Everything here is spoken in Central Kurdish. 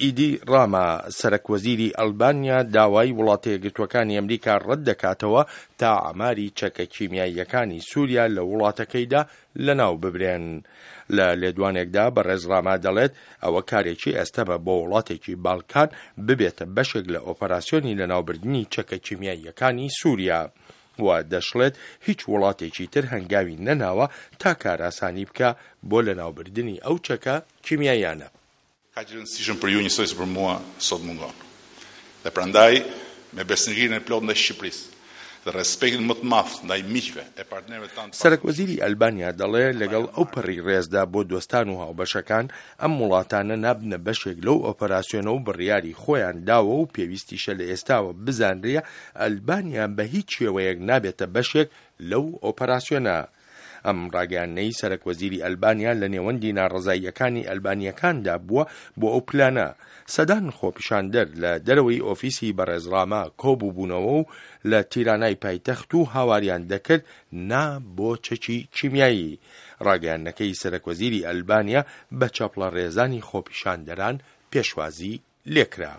ئیدی ڕاما، سەرەکوەزیری ئەلبانیا داوای وڵاتە یەکگرتووەکانی ئەمریکا ڕەت دەکاتەوە تا عەماری چەکە کیمیاییەکانی سووریا لە وڵاتەکەیدا لەناو ببرێن. لە لێدوانێکدا بەڕێز ڕاما دەڵێت ئەوە کارێکی ئەستەمە بۆ وڵاتێکی بالکان ببێتە بەشێک لە ئۆپەراسیۆنی لەناوبردنی چەکە کیمیاییەکانی سووریا و دەشڵێت هیچ وڵاتێکی تر هەنگاوی نەناوە تا کارئاسانی بکا بۆ لەناوبردنی ئەو چەکە کیمیاییانە. Kaq i rëndësishëm për ju njësoj si për mua sot mungon. Dhe prandaj, me besnikërinë e plotë ndaj Shqipërisë dhe respektin më të madh ndaj miqve e partnerëve tanë të سەرەک وەزیری ئەلبانیا دەڵێ لەگەڵ ئەو پەڕی ڕێزدا بۆ دۆستان و هاوبەشەکان، ئەم وڵاتانە نابنە بەشێک لەو ئۆپەراسیۆنە و بڕیاری خۆیان داوە و پێویستیشە لە ئێستاوە بزانرێ ئەلبانیا بە هیچ شێوەیەک نابێتە بەشێک لەو ئۆپەراسیۆنە. ئەم ڕاگەیاندنەی سەرەک وەزیری ئەلبانیا لە نێوەندی ناڕەزاییەکانی ئەلبانییەکاندا بووە بۆ ئەو پلانە. سەدان خۆپیشاندەر لە دەرەوەی ئۆفیسی بەڕێز ڕاما کۆبووبوونەوە و لە تیرانای پایتەخت و هاواریان دەکرد نا بۆ چەکی کیمیایی. ڕاگەیاندنەکەی سەرەک وەزیری ئەلبانیا بە چەپڵە ڕێزانی خۆپیشاندەران پێشوازی لێکرا.